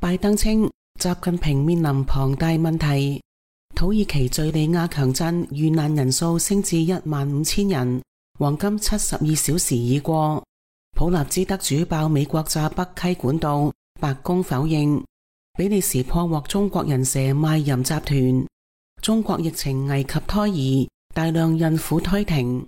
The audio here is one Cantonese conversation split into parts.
拜登稱習近平面臨龐大問題。土耳其敘利亞強震遇難人數升至15000人，黃金72小時已過。普立茲得主爆美國炸北溪管道，白宮否認。比利時破獲中國人蛇賣淫集團。中國疫情危及胎兒，大量孕婦胎停。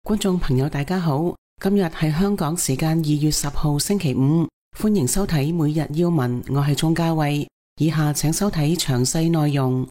觀眾朋友大家好，今日係香港時間2月10號星期五，歡迎收睇每日要聞，我係鍾嘉慧。以下請收睇詳細內容。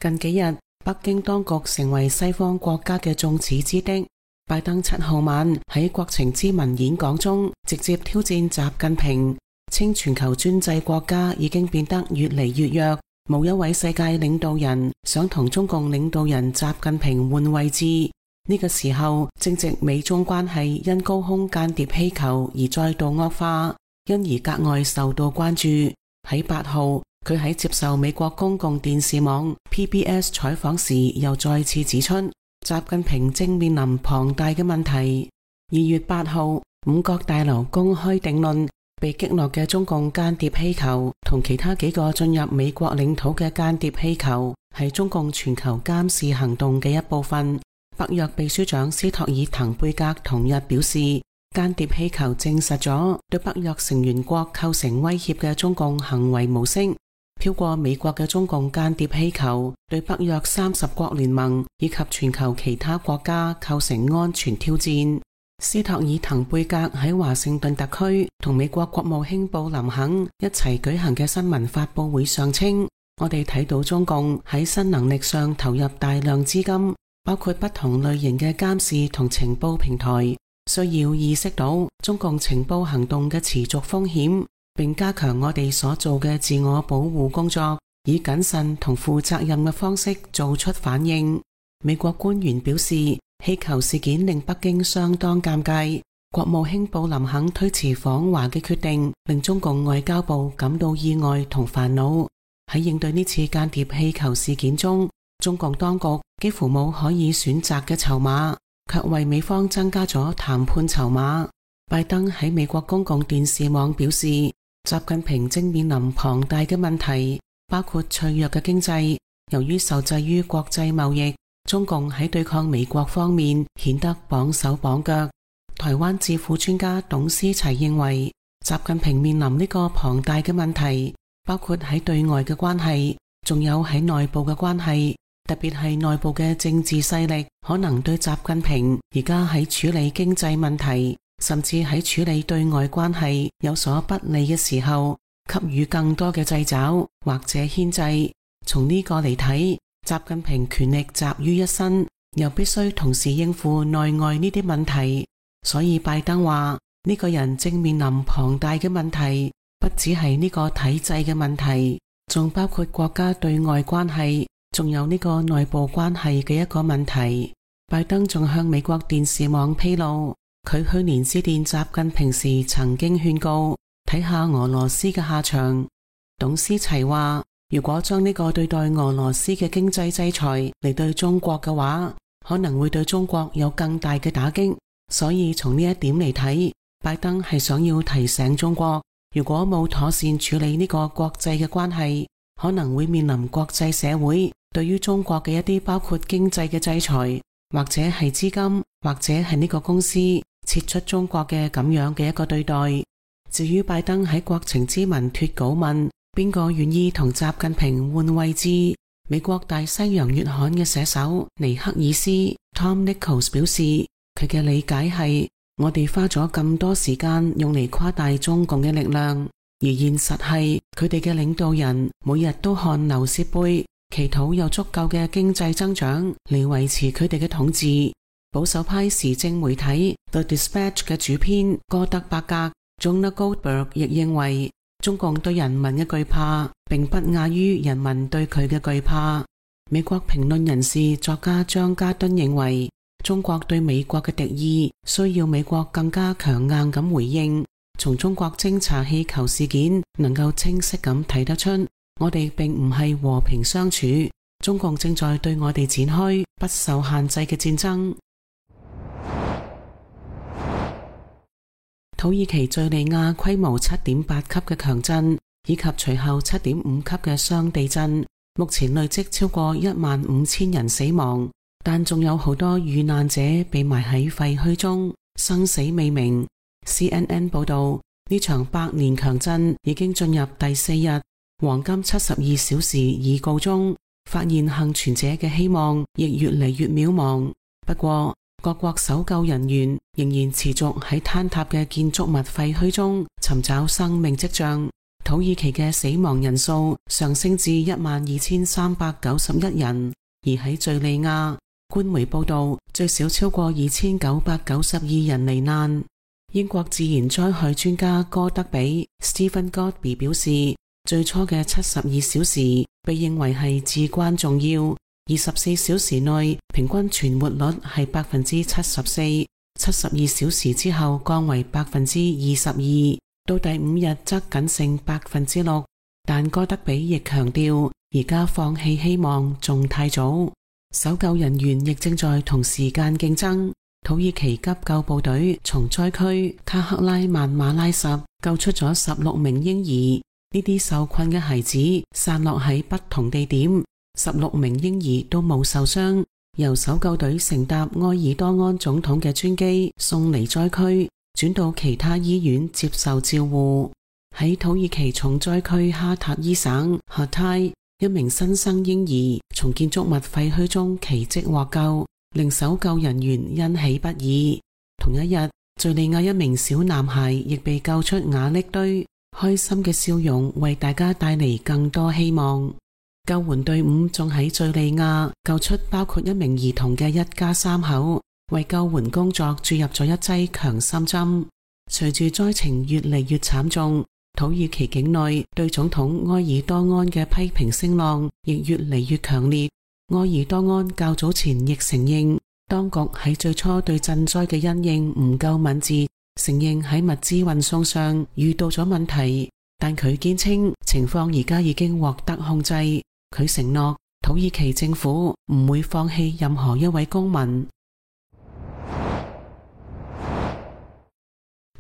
近幾日，北京當局成為西方國家嘅眾矢之的。拜登7號晚喺國情咨文演講中，直接挑戰習近平，稱全球專制國家已經變得越嚟越弱，冇一位世界領導人想同中共領導人習近平換位置。呢個時候正值美中關係因高空間諜氣球而再度惡化，因而格外受到關注。喺8號，佢喺接受美國公共電視網 PBS 採訪時，又再次指出習近平正面臨龐大嘅問題。2月8號，五角大樓公開定論，被擊落嘅中共間諜氣球同其他幾個進入美國領土嘅間諜氣球係中共全球監視行動嘅一部分。北約秘書長斯托爾滕貝格同日表示，間諜氣球證實咗對北約成員國構成威脅嘅中共行為模式。飄過美國嘅中共間諜氣球對北約30國聯盟以及全球其他國家構成安全挑戰。斯托爾滕貝格喺華盛頓特區同美國國務卿布林肯一齊舉行嘅新聞發佈會上稱，我哋睇到中共喺新能力上投入大量資金，包括不同類型嘅監視同情報平台，需要意識到中共情報行動嘅持續風險，並加強我哋所做嘅自我保護工作，以謹慎同負責任嘅方式做出反應。美國官員表示，氣球事件令北京相當尷尬，國務卿布林肯推遲訪華嘅決定令中共外交部感到意外同煩惱。喺應對呢次間諜氣球事件中，中共當局幾乎冇可以選擇嘅籌碼，卻為美方增加咗談判籌碼。拜登喺美國公共電視網表示，習近平正面臨龐大嘅問題，包括脆弱嘅經濟。由於受制於國際貿易，中共喺對抗美國方面顯得綁手綁腳。台灣智庫專家董思齊認為，習近平面臨呢個龐大嘅問題，包括喺對外嘅關係，仲有喺內部嘅關係。特別係內部嘅政治勢力可能對習近平而家喺處理經濟問題，甚至喺處理對外關係有所不利嘅時候，給予更多嘅掣肘或者牽制。從呢個嚟睇，習近平權力集於一身，又必須同時應付內外呢啲問題。所以拜登話，呢個人正面臨龐大嘅問題，不只係呢個體制嘅問題，仲包括國家對外關係，仲有呢個內部關係嘅一個問題。拜登仲向美國電視網披露，佢去年致電習近平時曾經勸告，睇下俄羅斯嘅下場。董思齊話，如果將呢個對待俄羅斯嘅經濟制裁嚟對中國嘅話，可能會對中國有更大嘅打擊。所以從呢一點嚟睇，拜登係想要提醒中國，如果冇妥善處理呢個國際嘅關係，可能會面臨國際社會對於中國嘅一啲包括經濟嘅制裁，或者係資金，或者係呢個公司撤出中國嘅咁樣嘅一個對待。至於拜登喺國情咨文脫稿問邊個願意同習近平換位置，美國大西洋月刊嘅寫手尼克爾斯 Tom Nichols 表示，佢嘅理解係，我哋花咗咁多時間用嚟誇大中共嘅力量，而現實係佢哋嘅領導人每日都看劉蝕杯，祈禱有足夠嘅經濟增長嚟維持佢哋嘅統治。保守派時政媒體 The Dispatch 嘅主編哥德伯格 Jonah Goldberg 亦認為，中共對人民嘅懼怕並不亞於人民對佢嘅懼怕。美國評論人士作家張家敦認為，中國對美國嘅敵意需要美國更加強硬咁回應。從中國偵察氣球事件能夠清晰咁睇得出，我哋並唔係和平相處，中共正在對我哋展開不受限制嘅戰爭。土耳其敘利亞規模 7.8 級嘅強震以及隨後 7.5 級嘅雙地震，目前累積超過15000人死亡，但仲有好多遇難者被埋喺廢墟中，生死未明。CNN 報道，呢場百年強震已經進入第4日，黃金72小時已告終，發現幸存者嘅希望亦越嚟越渺茫。不過，各國搜救人員仍然持續喺坍塌嘅建築物廢墟中尋找生命跡象。土耳其嘅死亡人數上升至12391人，而喺敘利亞，官媒報道最少超過2992人罹難。英國自然災害專家哥德比 Stephen Godby 表示，最初嘅72小時被認為係至關重要。24小時內平均存活率係 74%， 72小時之後降為 22%， 到第5日則僅剩 6%。 但哥德比亦強調，而家放棄希望仲太早。搜救人員亦正在同時間競爭。土耳其急救部隊從災區卡克拉曼馬拉什救出咗16名嬰兒，呢啲受困嘅孩子散落喺不同地點。16名嬰兒都冇受傷，由搜救隊乘搭埃爾多安總統嘅專機送離災區，轉到其他醫院接受照護。喺土耳其重災區哈塔伊省哈泰，一名新生嬰兒從建築物廢墟中奇蹟獲救，令搜救人員欣喜不已。同一日，敘利亞一名小男孩亦被救出瓦礫堆，開心嘅笑容為大家帶嚟更多希望。救援隊伍仲喺敘利亞救出包括一名兒童嘅一家3口，為救援工作注入咗一劑強心針。隨住災情越嚟越慘重，土耳其境內對總統埃爾多安嘅批評聲浪亦越嚟越強烈。埃爾多安較早前亦承認，當局喺最初對賑災嘅因應唔夠敏捷，承認喺物資運送上遇到咗問題，但佢堅稱情況而家已經獲得控制。佢承諾土耳其政府唔會放棄任何一位公民。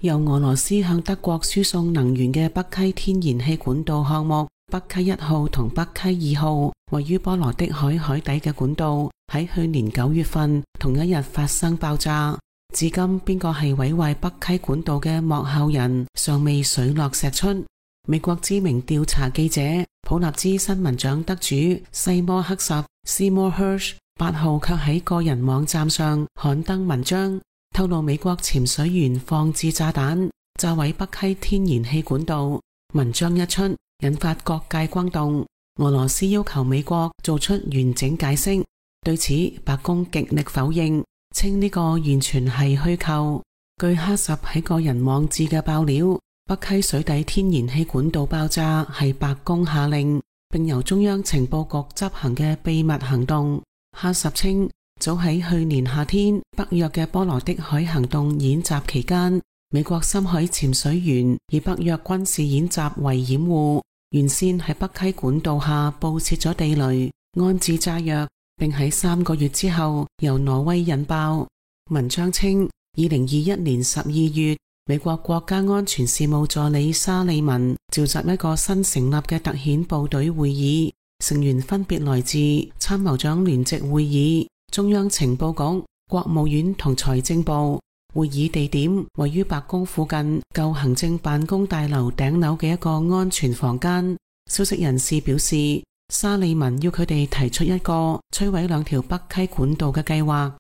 由俄羅斯向德國輸送能源嘅北溪天然氣管道項目北溪1號同北溪2號，位於波羅的海海底嘅管道，喺去年9月份同一日發生爆炸。至今邊個係毀壞北溪管道嘅幕後人，尚未水落石出。美國知名調查記者普立茲新聞獎得主西摩克什 Seymour Hersh 8號卻喺個人網站上刊登文章，透露美國潛水員放置炸彈炸毀北溪天然氣管道。文章一出，引發各界轟動。俄羅斯要求美國做出完整解釋，對此白宮極力否認，稱呢個完全係虛構。據哈什喺個人網誌嘅爆料，北溪水底天然氣管道爆炸係白宮下令，並由中央情報局執行嘅秘密行動。哈什稱，早喺去年夏天北約嘅波羅的海行動演習期間，美國深海潛水員以北約軍事演習為掩護，原先喺北溪管道下布設咗地雷，安置炸藥，並喺3個月之後由挪威引爆。文章稱，2021年12月，美國國家安全事務助理沙利文召集一個新成立嘅特遣部隊會議，成員分別來自參謀長聯席會議、中央情報局、國務院同財政部。會議地點位於白宮附近舊行政辦公大樓頂樓嘅一個安全房間。消息人士表示，沙利文要佢哋提出一個摧毀2條北溪管道嘅計劃。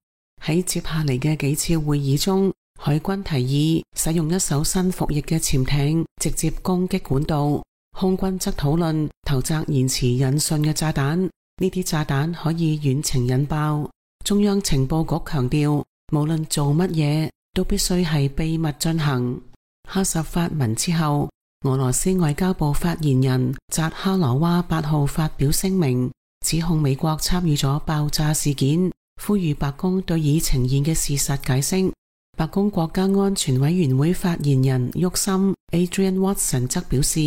喺接下嚟嘅幾次會議中，海軍提議使用一艘新服役嘅潛艇直接攻擊管道，空軍則討論投擲延遲引信嘅炸彈，呢啲炸彈可以遠程引爆。中央情報局強調，無論做乜嘢都必須係秘密進行。哈什發文之後，俄羅斯外交部發言人扎哈羅娃8號發表聲明，指控美國參與咗爆炸事件，呼籲白宮對已呈現嘅事實解釋。白宮國家安全委員會發言人沃森 Adrian Watson 則表示，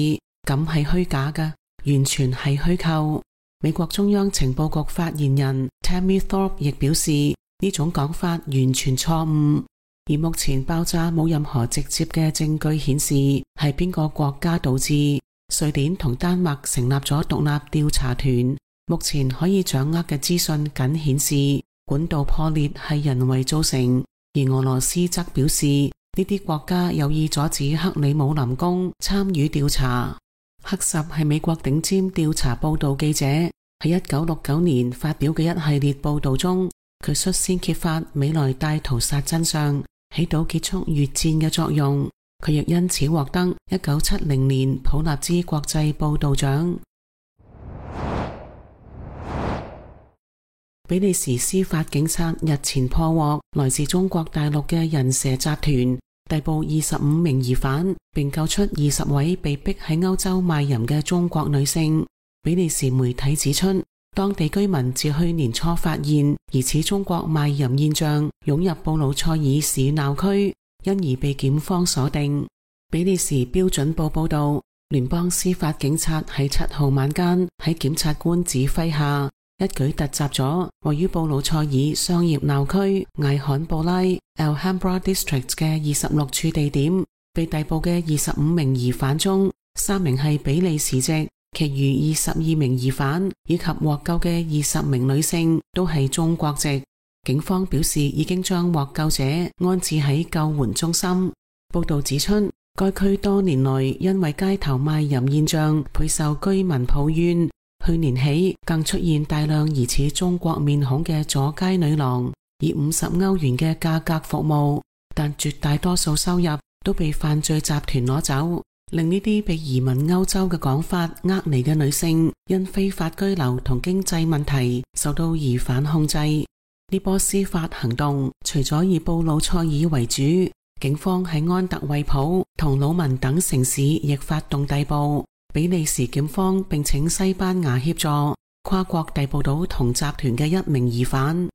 咁係虛假嘅，完全係虛構。美國中央情報局發言人 Tammy Thorpe 亦表示，呢種講法完全錯誤。而目前爆炸冇任何直接嘅證據顯示係邊個國家導致。瑞典同丹麥成立咗獨立調查團，目前可以掌握嘅資訊僅顯示管道破裂係人為造成，而俄羅斯則表示呢啲國家有意阻止克里姆林宮參與調查。克什係美國頂尖調查報道記者，喺1969年發表嘅一系列報道中，佢率先揭發美萊大屠殺真相，起到結束越戰嘅作用。佢亦因此獲得1970年普立茲國際報道獎。比利時司法警察日前破獲來自中國大陸嘅人蛇集團，逮捕25名疑犯，並救出20位被逼喺歐洲賣淫嘅中國女性。比利時媒體指出，當地居民自去年初發現疑似中國賣淫現象湧入布魯塞爾市鬧區，因而被檢方鎖定。比利時標準報報道，聯邦司法警察喺7號晚間喺檢察官指揮下，一舉突襲咗位於布魯塞爾商業鬧區艾罕布拉 Alhambra District 嘅26處地點。被逮捕嘅25名疑犯中，3名係比利時籍，其餘22名疑犯以及獲救嘅20名女性都係中國籍。警方表示已經將獲救者安置喺救援中心。報道指出，該區多年來因為街頭賣淫現象備受居民抱怨，去年起更出現大量疑似中國面孔嘅阻街女郎，以50歐元嘅價格服務，但絕大多數收入都被犯罪集團攞走，令呢啲被移民歐洲嘅講法呃嚟嘅女性因非法居留同經濟問題受到疑犯控制。呢波司法行動除咗以布魯塞爾為主，警方喺安特衛普同魯汶等城市亦發動逮捕。比利時檢方並請西班牙協助，跨國逮捕到同集團嘅1名疑犯。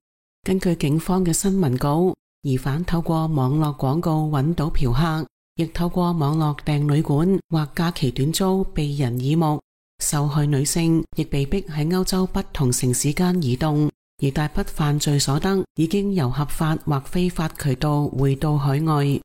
根據警方嘅新聞稿，疑犯透過網絡廣告揾到嫖客，亦透過網絡訂旅館或假期短租避人耳目。受害女性亦被逼喺歐洲不同城市間移動，而大筆犯罪所得已經由合法或非法渠道匯到海外。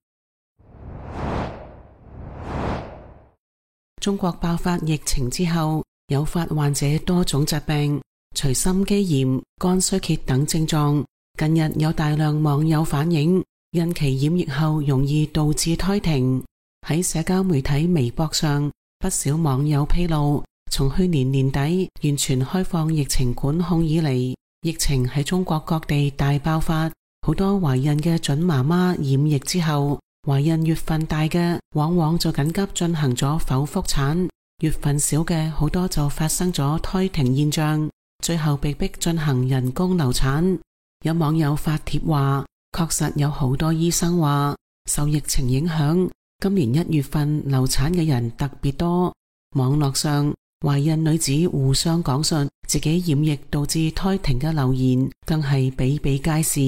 中國爆發疫情之後，誘發患者多種疾病，除心肌炎、肝衰竭等症狀。近日有大量網友反映，孕期染疫後容易導致胎停。喺社交媒體微博上，不少網友披露，從去年年底完全開放疫情管控以嚟，疫情喺中國各地大爆發，好多懷孕嘅準媽媽染疫之後，懷孕月份大嘅往往就緊急進行咗剖腹產，月份小嘅好多就發生咗胎停現象，最後被逼進行人工流產。有網友發帖話，確實有好多醫生話受疫情影響，今年1月份流產嘅人特別多。網絡上懷孕女子互相講述自己染疫導致胎停嘅留言更係比比皆是。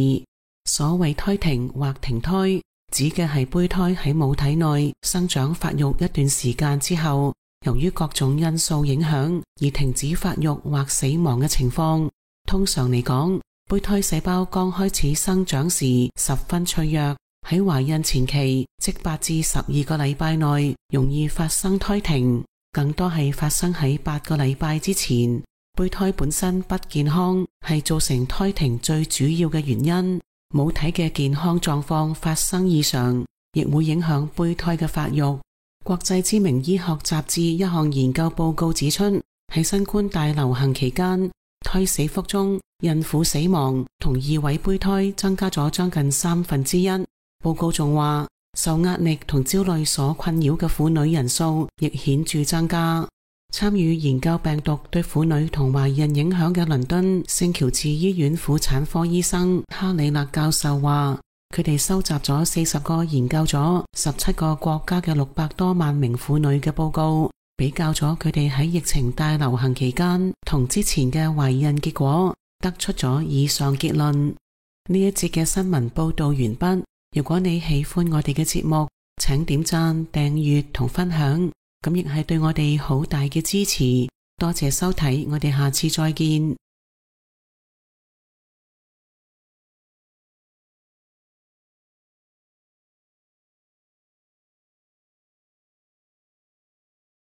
所謂胎停或停胎，指嘅係胚胎喺母體內生長發育一段時間之後，由於各種因素影響而停止發育或死亡嘅情況。通常嚟講，胚胎細胞剛開始生長時十分脆弱，喺懷孕前期即8至12個禮拜內容易發生胎停，更多係發生喺8個禮拜之前。胚胎本身不健康係造成胎停最主要嘅原因。母體嘅健康狀況發生異常，亦會影響胚胎嘅發育。國際知名醫學雜誌一項研究報告指出，喺新冠大流行期間，胎死腹中孕婦死亡同異位胚胎增加咗將近1/3。報告仲話，受壓力同焦慮所困擾嘅婦女人數亦顯著增加。參與研究病毒對婦女同懷孕影響嘅倫敦聖喬治醫院婦產科醫生哈里勒教授話，佢哋收集咗40個研究咗17個國家嘅600多萬名婦女嘅報告，比較咗佢哋喺疫情大流行期間同之前嘅懷孕結果，得出咗以上結論。呢一節嘅新聞報道完畢。如果你喜歡我哋嘅節目，請點讚、訂閱同分享，咁亦係對我哋好大嘅支持。多謝收睇，我哋下次再見。